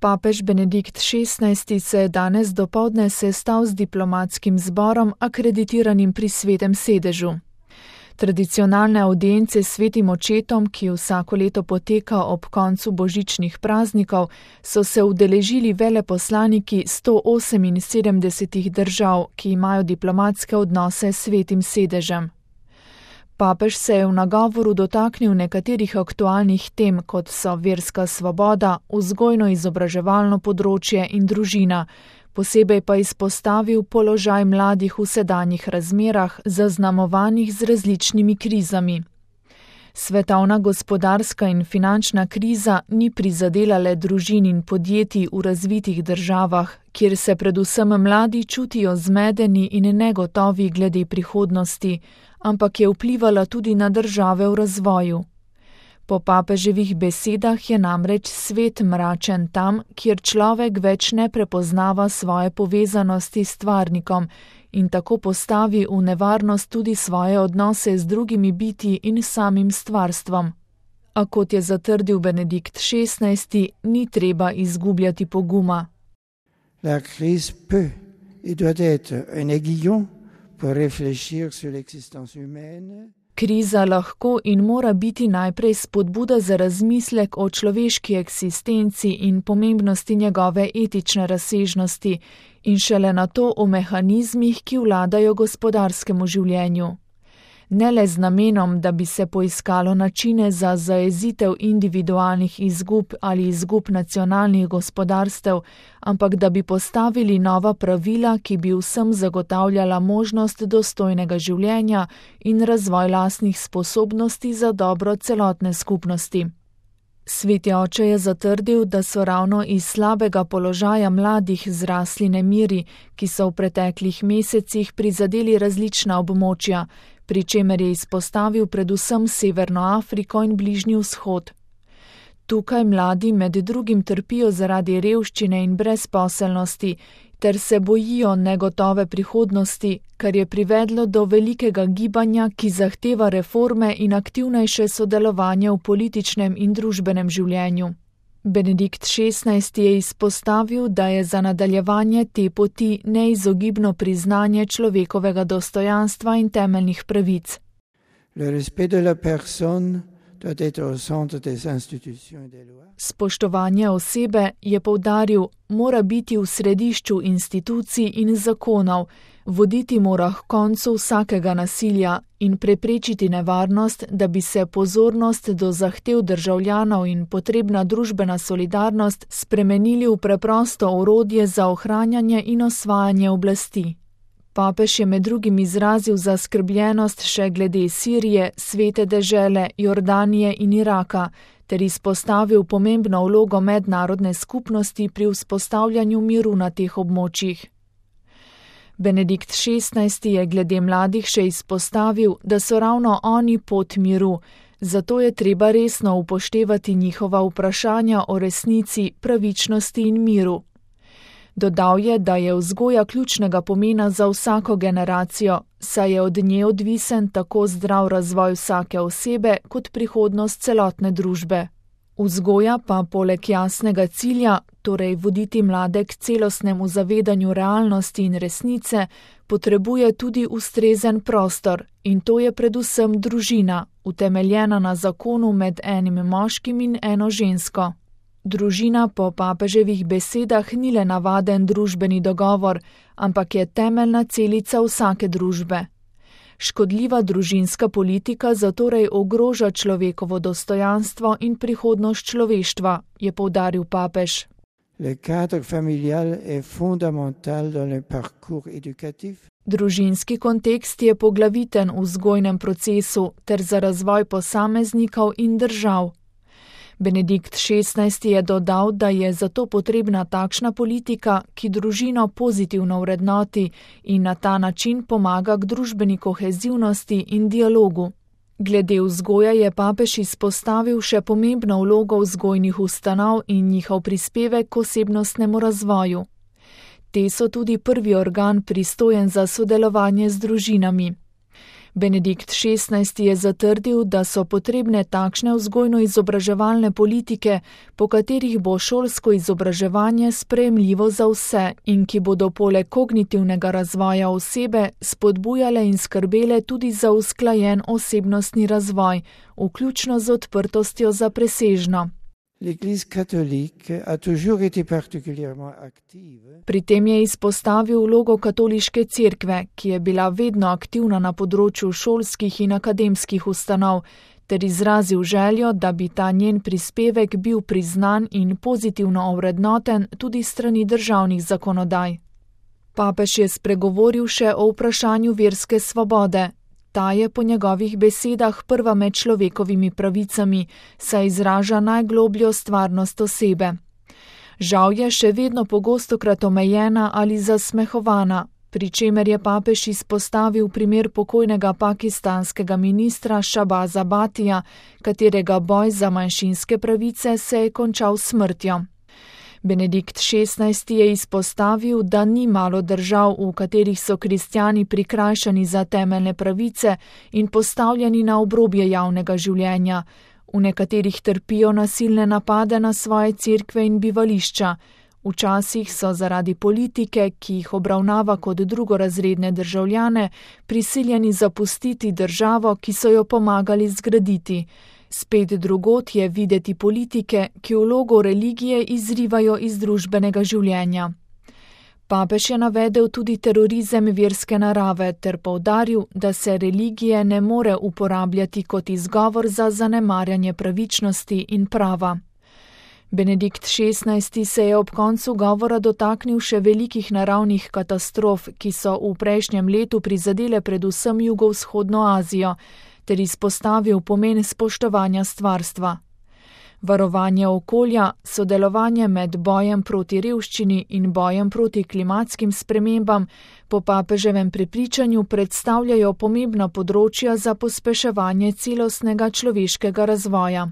Papež Benedikt XVI se je danes dopoldne sestal z diplomatskim zborom akreditiranim pri Svetem sedežu. Tradicionalne avdience s Svetim očetom, ki vsako leto poteka ob koncu božičnih praznikov, so se udeležili veleposlaniki 178 držav, ki imajo diplomatske odnose s Svetim sedežem. Papež se je v nagovoru dotaknil nekaterih aktualnih tem, kot so verska svoboda, vzgojno-izobraževalno področje in družina, posebej pa izpostavil položaj mladih v sedanjih razmerah, zaznamovanih z različnimi krizami. Svetovna gospodarska in finančna kriza ni prizadela le družin in podjetij v razvitih državah, kjer se predvsem mladi čutijo zmedeni in negotovi glede prihodnosti, ampak je vplivala tudi na države v razvoju. Po papeževih besedah je namreč svet mračen tam, kjer človek več ne prepoznava svoje povezanosti s stvarnikom in tako postavi v nevarnost tudi svoje odnose z drugimi bitji in samim stvarstvom. A kot je zatrdil Benedikt XVI, ni treba izgubljati poguma. La crise peut et doit être un aiguillon pour réfléchir sur l'existence humaine. Kriza lahko in mora biti najprej spodbuda za razmislek o človeški eksistenci in pomembnosti njegove etične razsežnosti in šele nato o mehanizmih, ki vladajo gospodarskemu življenju. Ne le z namenom, da bi se poiskalo načine za zajezitev individualnih izgub ali izgub nacionalnih gospodarstev, ampak da bi postavili nova pravila, ki bi vsem zagotavljala možnost dostojnega življenja in razvoj lastnih sposobnosti za dobro celotne skupnosti. Sveti oče je zatrdil, da so ravno iz slabega položaja mladih zrasli nemiri, ki so v preteklih mesecih prizadeli različna območja, pri čemer je izpostavil predvsem Severno Afriko in Bližnji vzhod. Tukaj mladi med drugim trpijo zaradi revščine in brezposelnosti, ter se bojijo negotove prihodnosti, kar je privedlo do velikega gibanja, ki zahteva reforme in aktivnejše sodelovanje v političnem in družbenem življenju. Benedikt XVI je izpostavil, da je za nadaljevanje te poti neizogibno priznanje človekovega dostojanstva in temeljnih pravic. Le respect de la personne doit être au centre des institutions et des lois. Spoštovanje osebe, je poudaril, mora biti v središču institucij in zakonov, voditi mora k koncu vsakega nasilja in preprečiti nevarnost, da bi se pozornost do zahtev državljanov in potrebna družbena solidarnost spremenili v preprosto orodje za ohranjanje in osvajanje oblasti. Papež je med drugim izrazil zaskrbljenost še glede Sirije, Svete dežele, Jordanije in Iraka, ter izpostavil pomembno vlogo mednarodne skupnosti pri vzpostavljanju miru na teh območjih. Benedikt XVI je glede mladih še izpostavil, da so ravno oni pot miru, zato je treba resno upoštevati njihova vprašanja o resnici, pravičnosti in miru. Dodal je, da je vzgoja ključnega pomena za vsako generacijo, saj je od nje odvisen tako zdrav razvoj vsake osebe kot prihodnost celotne družbe. Vzgoja pa poleg jasnega cilja, torej voditi mlade k celostnemu zavedanju realnosti in resnice, potrebuje tudi ustrezen prostor, in to je predvsem družina, utemeljena na zakonu med enim moškim in eno žensko. Družina po papeževih besedah ni le navaden družbeni dogovor, ampak je temeljna celica vsake družbe. Škodljiva družinska politika zatorej ogroža človekovo dostojanstvo in prihodnost človeštva, je poudaril papež. Le cadre familial est fondamental dans le parcours éducatif. Družinski kontekst je poglaviten v vzgojnem procesu ter za razvoj posameznikov in držav. Benedikt XVI je dodal, da je zato potrebna takšna politika, ki družino pozitivno vrednoti in na ta način pomaga k družbeni kohezivnosti in dialogu. Glede vzgoje je papež izpostavil še pomembno vlogo vzgojnih ustanov in njihov prispevek k osebnostnemu razvoju. Te so tudi prvi organ pristojen za sodelovanje z družinami. Benedikt XVI je zatrdil, da so potrebne takšne vzgojno-izobraževalne politike, po katerih bo šolsko izobraževanje sprejemljivo za vse in ki bodo poleg kognitivnega razvoja osebe spodbujale in skrbele tudi za usklajen osebnostni razvoj, vključno z odprtostjo za presežno. L'Église catholique a toujours été particulièrement active. Pri tem je izpostavil vlogo katoliške cerkve, ki je bila vedno aktivna na področju šolskih in akademskih ustanov, ter izrazil željo, da bi ta njen prispevek bil priznan in pozitivno ovrednoten tudi strani državnih zakonodaj. Papež je spregovoril še o vprašanju verske svobode. Ta je po njegovih besedah prva med človekovimi pravicami, saj izraža najglobljo stvarnost osebe. Žal je še vedno pogostokrat omejena ali zasmehovana, pri čemer je papež izpostavil primer pokojnega pakistanskega ministra Shahbaza Bhatija, katerega boj za manjšinske pravice se je končal s smrtjo. Benedikt XVI je izpostavil, da ni malo držav, v katerih so kristjani prikrajšani za temeljne pravice in postavljeni na obrobje javnega življenja. V nekaterih trpijo nasilne napade na svoje cerkve in bivališča. Včasih so zaradi politike, ki jih obravnava kot drugorazredne državljane, prisiljeni zapustiti državo, ki so jo pomagali zgraditi. Spet drugod je videti politike, ki vlogo religije izrivajo iz družbenega življenja. Papež je navedel tudi terorizem verske narave ter poudaril, da se religije ne more uporabljati kot izgovor za zanemarjanje pravičnosti in prava. Benedikt XVI se je ob koncu govora dotaknil še velikih naravnih katastrof, ki so v prejšnjem letu prizadele predvsem jugovzhodno Azijo, ter izpostavil pomen spoštovanja stvarstva. Varovanje okolja, sodelovanje med bojem proti revščini in bojem proti klimatskim spremembam po papeževem prepričanju predstavljajo pomembna področja za pospeševanje celostnega človeškega razvoja.